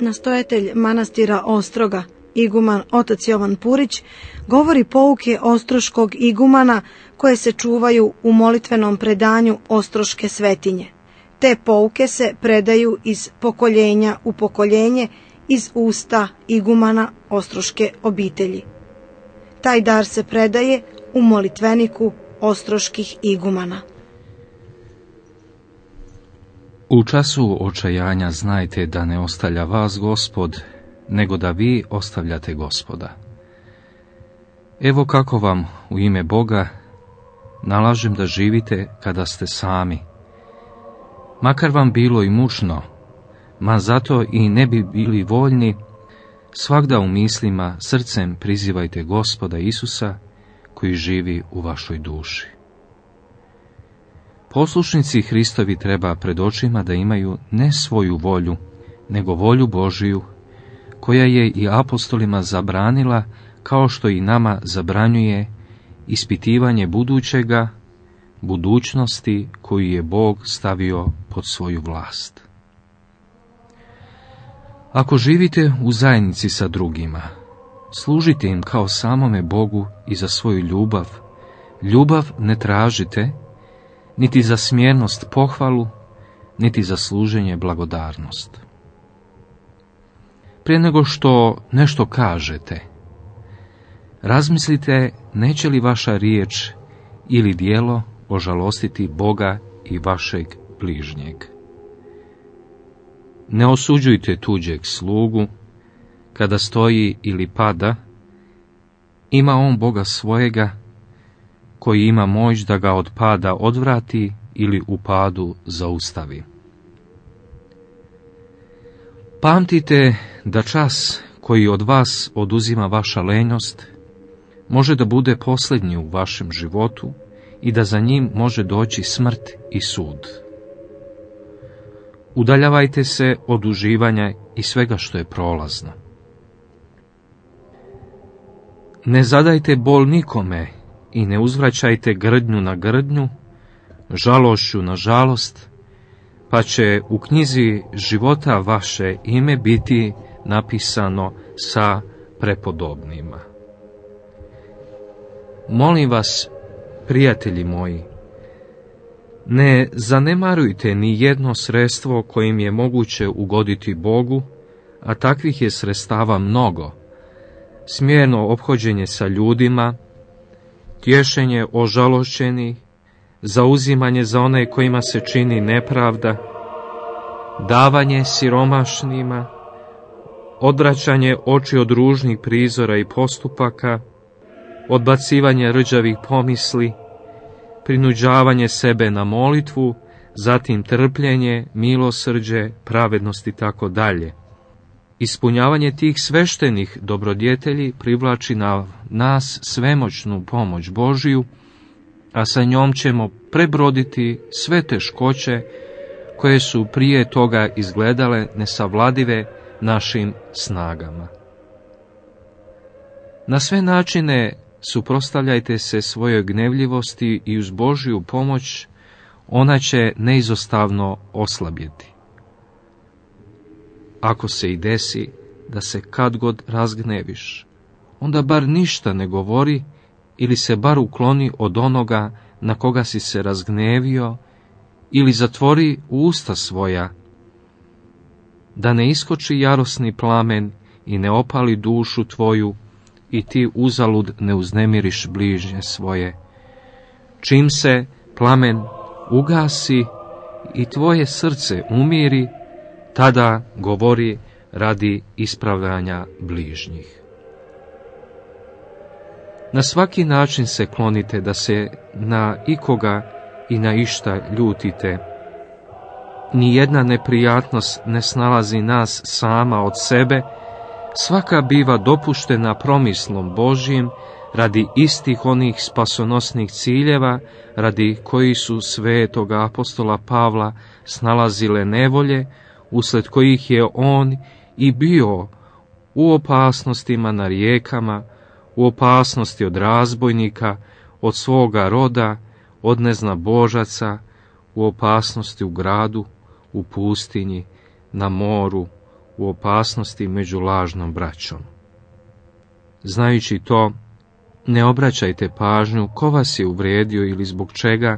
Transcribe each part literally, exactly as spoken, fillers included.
nastojatelj manastira Ostroga, iguman otac Jovan Purić, govori pouke ostroškog igumana koje se čuvaju u molitvenom predanju Ostroške svetinje. Te pouke se predaju iz pokoljenja u pokoljenje, iz usta igumana ostroške obitelji. Taj dar se predaje u molitveniku ostroških igumana. U času očajanja znajte da ne ostavlja vas Gospod, nego da vi ostavljate Gospoda. Evo kako vam u ime Boga nalažem da živite kada ste sami. Makar vam bilo i mučno, ma zato i ne bi bili voljni, svagda u mislima srcem prizivajte Gospoda Isusa koji živi u vašoj duši. Poslušnici Hristovi treba pred očima da imaju ne svoju volju, nego volju Božiju, koja je i apostolima zabranila, kao što i nama zabranjuje ispitivanje budućega, budućnosti koju je Bog stavio pod svoju vlast. Ako živite u zajednici sa drugima, služite im kao samome Bogu i za svoju ljubav. Ljubav ne tražite, niti za smjernost pohvalu, niti za služenje blagodarnost. Prije nego što nešto kažete, razmislite neće li vaša riječ ili djelo ožalostiti Boga i vašeg bližnjeg. Ne osuđujte tuđeg slugu, kada stoji ili pada, ima on Boga svojega, koji ima moć da ga od pada odvrati ili u padu zaustavi. Pamtite da čas koji od vas oduzima vaša lenjost može da bude posljednji u vašem životu i da za njim može doći smrt i sud. Udaljavajte se od uživanja i svega što je prolazno. Ne zadajte bol nikome i ne uzvraćajte grdnju na grdnju, žalošću na žalost, pa će u knjizi života vaše ime biti napisano sa prepodobnima. Molim vas, prijatelji moji, ne zanemarujte ni jedno sredstvo kojim je moguće ugoditi Bogu, a takvih je sredstava mnogo. Smjerno ophođenje sa ljudima, tješenje ožalošćenih, zauzimanje za one kojima se čini nepravda, davanje siromašnima, odvraćanje oči od ružnih prizora i postupaka, odbacivanje rđavih pomisli, prinuđavanje sebe na molitvu, zatim trpljenje, milosrđe, pravednost i tako dalje. Ispunjavanje tih sveštenih dobrodjetelji privlači na nas svemoćnu pomoć Božiju, a sa njom ćemo prebroditi sve teškoće koje su prije toga izgledale nesavladive našim snagama. Na sve načine suprotstavljajte se svojoj gnevljivosti i uz Božju pomoć ona će neizostavno oslabjeti. Ako se i desi da se kad god razgneviš, onda bar ništa ne govori ili se bar ukloni od onoga na koga si se razgnevio ili zatvori usta svoja, da ne iskoči jarosni plamen i ne opali dušu tvoju i ti uzalud ne uznemiriš bližnje svoje. Čim se plamen ugasi i tvoje srce umiri, tada govori radi ispravljanja bližnjih. Na svaki način se klonite da se na ikoga i na išta ljutite. Nijedna neprijatnost ne snalazi nas sama od sebe, svaka biva dopuštena promislom Božjim radi istih onih spasonosnih ciljeva radi koji su svetoga apostola Pavla snalazile nevolje, usled kojih je on i bio u opasnostima na rijekama, u opasnosti od razbojnika, od svoga roda, od neznabožaca, u opasnosti u gradu, u pustinji, na moru, u opasnosti među lažnom braćom. Znajući to, ne obraćajte pažnju ko vas je uvrijedio ili zbog čega,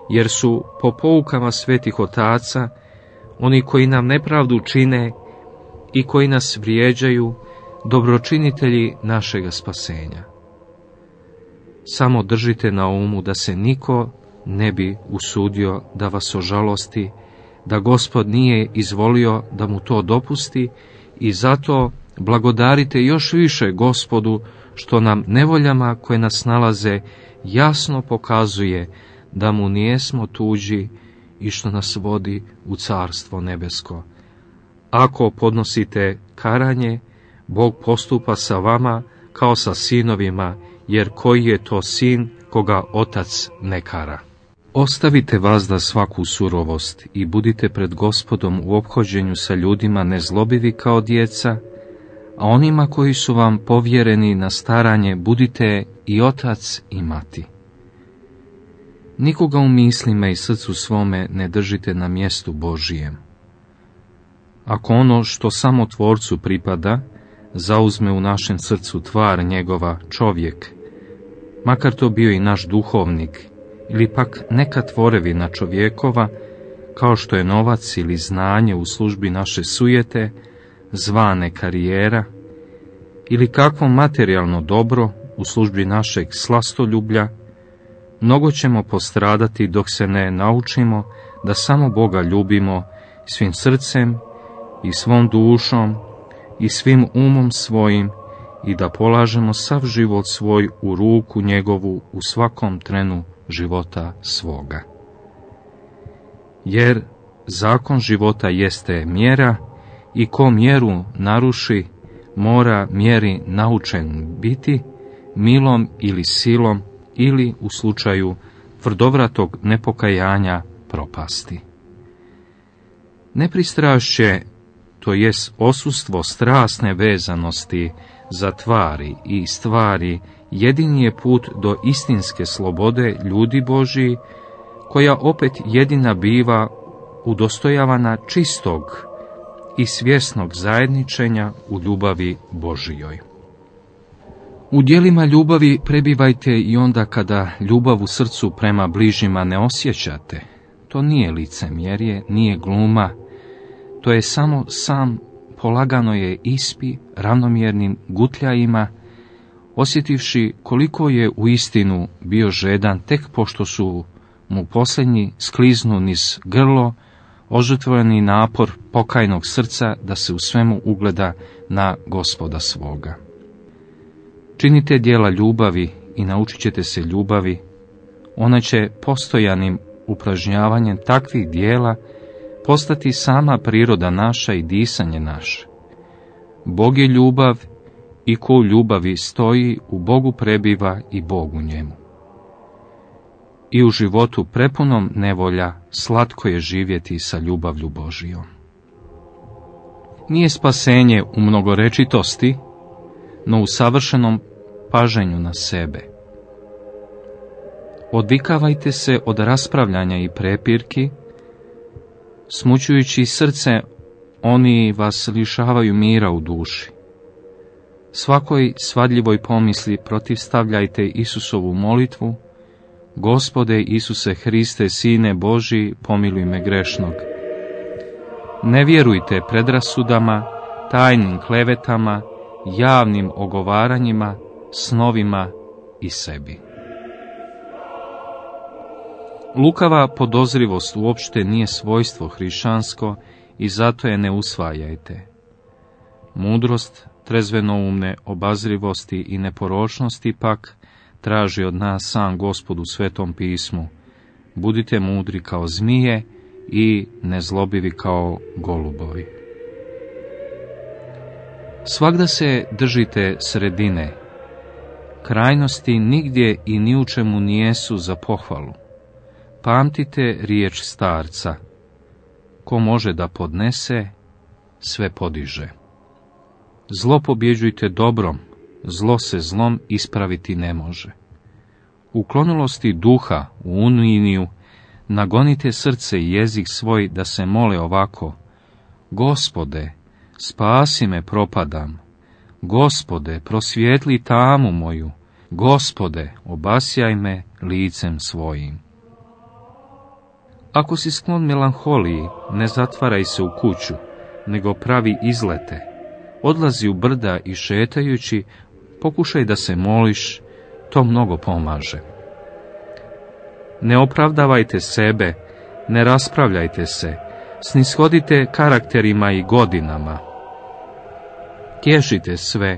jer su po poukama svetih otaca oni koji nam nepravdu čine i koji nas vrijeđaju dobročinitelji našega spasenja. Samo držite na umu da se niko ne bi usudio da vas ožalosti, da Gospod nije izvolio da mu to dopusti i zato blagodarite još više Gospodu što nam nevoljama koje nas nalaze jasno pokazuje da mu nijesmo tuđi i što nas vodi u Carstvo nebesko. Ako podnosite karanje, Bog postupa sa vama kao sa sinovima, jer koji je to sin koga otac ne kara. Ostavite vazda svaku surovost i budite pred Gospodom u ophođenju sa ljudima nezlobivi kao djeca, a onima koji su vam povjereni na staranje budite i otac i mati. Nikoga u mislima i srcu svome ne držite na mjestu Božijem. Ako ono što samo Tvorcu pripada, zauzme u našem srcu tvar njegova čovjek, makar to bio i naš duhovnik, ili pak neka tvorevina čovjekova, kao što je novac ili znanje u službi naše sujete, zvane karijera, ili kakvo materijalno dobro u službi našeg slastoljublja, mnogo ćemo postradati dok se ne naučimo da samo Boga ljubimo svim srcem i svom dušom i svim umom svojim i da polažemo sav život svoj u ruku njegovu u svakom trenu života svoga. Jer zakon života jeste mjera i ko mjeru naruši, mora mjeri naučen biti, milom ili silom ili u slučaju tvrdovratog nepokajanja propasti. Nepristrašće, to jest osustvo strasne vezanosti za tvari i stvari, jedini je put do istinske slobode ljudi Božiji, koja opet jedina biva udostojavana čistog i svjesnog zajedničenja u ljubavi Božijoj. U djelima ljubavi prebivajte i onda kada ljubav u srcu prema bližnjima ne osjećate. To nije licemjerje, nije gluma, to je samo sam polagano je ispi ravnomjernim gutljajima, osjetivši koliko je u istinu bio žedan tek pošto su mu posljednji skliznu niz grlo, ožrtvovani napor pokajnog srca da se u svemu ugleda na Gospoda svoga. Činite djela ljubavi i naučit ćete se ljubavi, ona će postojanim upražnjavanjem takvih djela postati sama priroda naša i disanje naše. Bog je ljubav i ko u ljubavi stoji, u Bogu prebiva i Bog u njemu. I u životu prepunom nevolja slatko je živjeti sa ljubavlju Božijom. Nije spasenje u mnogorečitosti, no u savršenom paženju na sebe. Odvikavajte se od raspravljanja i prepirki, smućujući srce, oni vas lišavaju mira u duši. Svakoj svadljivoj pomisli protivstavljajte Isusovu molitvu: Gospode Isuse Hriste, Sine Božji, pomiluj me grešnog. Ne vjerujte predrasudama, tajnim klevetama, javnim ogovaranjima, snovima i sebi. Lukava podozrivost uopšte nije svojstvo hrišćansko i zato je ne usvajajte. Mudrost, trezvenoumne obazrivosti i neporočnosti pak traži od nas sam Gospod u Svetom pismu: budite mudri kao zmije i nezlobivi kao golubovi. Svagda se držite sredine. Krajnosti nigdje i ni u čemu nijesu za pohvalu. Pamtite riječ starca: ko može da podnese, sve podiže. Zlo pobjeđujte dobrom, zlo se zlom ispraviti ne može. U klonulosti duha, u unijinu, nagonite srce i jezik svoj da se mole ovako: Gospode, spasi me, propadam. Gospode, prosvijetli tamu moju. Gospode, obasjaj me licem svojim. Ako si sklon melanholiji, ne zatvaraj se u kuću, nego pravi izlete. Odlazi u brda i šetajući, pokušaj da se moliš, to mnogo pomaže. Ne opravdavajte sebe, ne raspravljajte se, snishodite karakterima i godinama. Tješite sve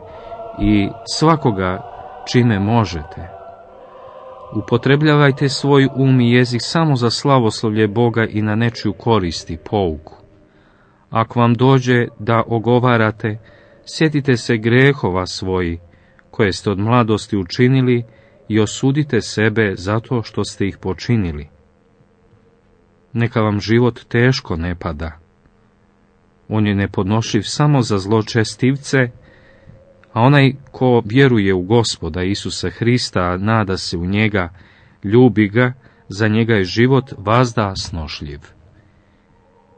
i svakoga čime možete. Upotrebljavajte svoj um i jezik samo za slavoslovlje Boga i na nečiju korist i pouku. Ako vam dođe da ogovarate, sjetite se grehova svoji, koje ste od mladosti učinili, i osudite sebe zato što ste ih počinili. Neka vam život teško ne pada. On je nepodnošljiv samo za zločestivce, a onaj ko vjeruje u Gospoda Isusa Hrista, a nada se u njega, ljubi ga, za njega je život vazda snošljiv.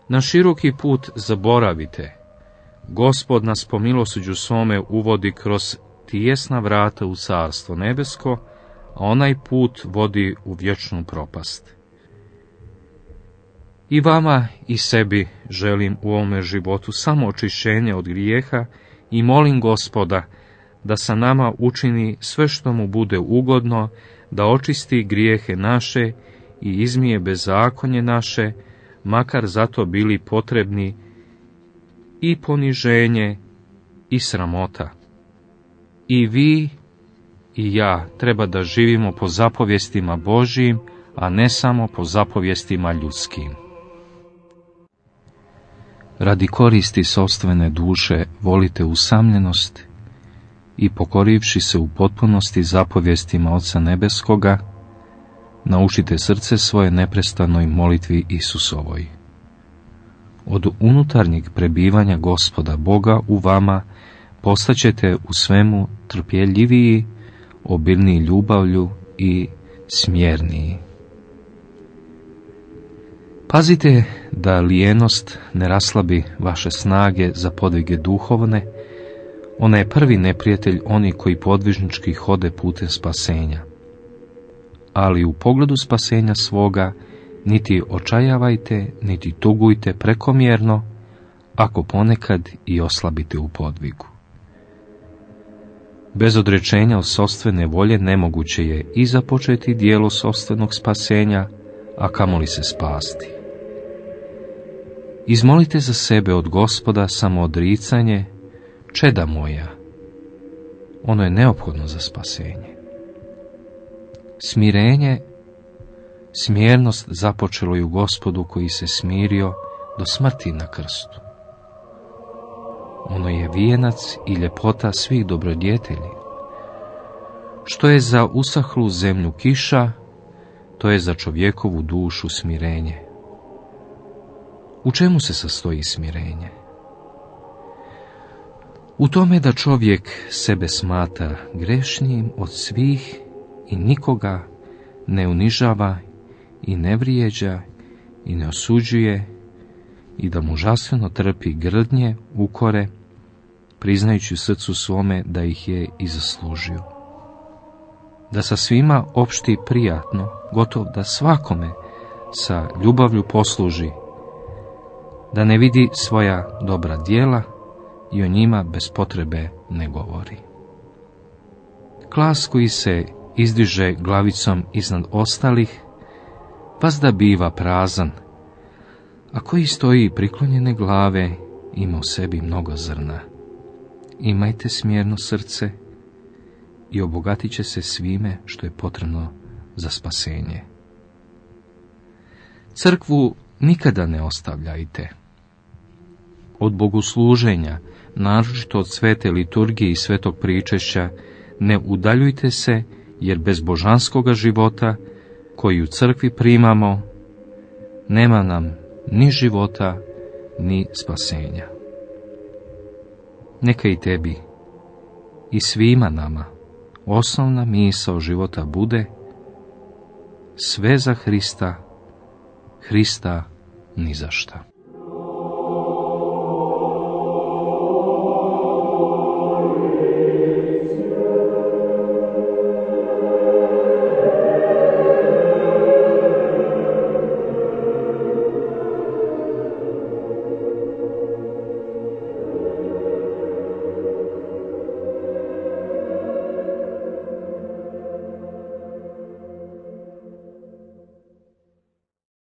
Na široki put zaboravite. Gospod nas po milosrđu svome uvodi kroz tijesna vrata u carstvo nebesko, a onaj put vodi u vječnu propast. I vama i sebi želim u ovome životu samo očišćenje od grijeha i molim Gospoda da sa nama učini sve što mu bude ugodno, da očisti grijehe naše i izmije bezakonje naše, makar zato bili potrebni i poniženje i sramota. I vi i ja treba da živimo po zapovjestima Božjim, a ne samo po zapovjestima ljudskim. Radi koristi sopstvene duše volite usamljenost i pokorivši se u potpunosti zapovjestima Oca Nebeskoga, naučite srce svoje neprestanoj molitvi Isusovoj. Od unutarnjeg prebivanja Gospoda Boga u vama postaćete u svemu trpjeljiviji, obilniji ljubavlju i smjerniji. Pazite da lijenost ne raslabi vaše snage za podvige duhovne. Ona je prvi neprijatelj oni koji podvižnički hode putem spasenja. Ali u pogledu spasenja svoga niti očajavajte, niti tugujte prekomjerno, ako ponekad i oslabite u podvigu. Bez odrečenja od sopstvene volje nemoguće je i započeti dijelo sopstvenog spasenja, a kamoli se spasti. Izmolite za sebe od Gospoda samoodricanje, čeda moja. Ono je neophodno za spasenje. Smirenje, smjernost započelo je u Gospodu koji se smirio do smrti na krstu. Ono je vijenac i ljepota svih dobrodjetelji. Što je za usahlu zemlju kiša, to je za čovjekovu dušu smirenje. U čemu se sastoji smirenje? U tome da čovjek sebe smatra grešnijim od svih i nikoga ne unižava i ne vrijeđa i ne osuđuje i da mu žastveno trpi grdnje, ukore, priznajući u srcu svome da ih je i zaslužio. Da sa svima opšti prijatno, gotov da svakome sa ljubavlju posluži, da ne vidi svoja dobra djela i o njima bez potrebe ne govori. Glas koji se izdiže glavicom iznad ostalih, vazda biva prazan, a koji stoji priklonjene glave ima u sebi mnogo zrna. Imajte smjerno srce i obogatit će se svime što je potrebno za spasenje. Crkvu nikada ne ostavljajte. Od bogosluženja, naročito od svete liturgije i svetog pričešća, ne udaljujte se, jer bez božanskoga života, koji u crkvi primamo, nema nam ni života, ni spasenja. Neka i tebi i svima nama osnovna misao života bude sve za Hrista, Hrista ni za šta.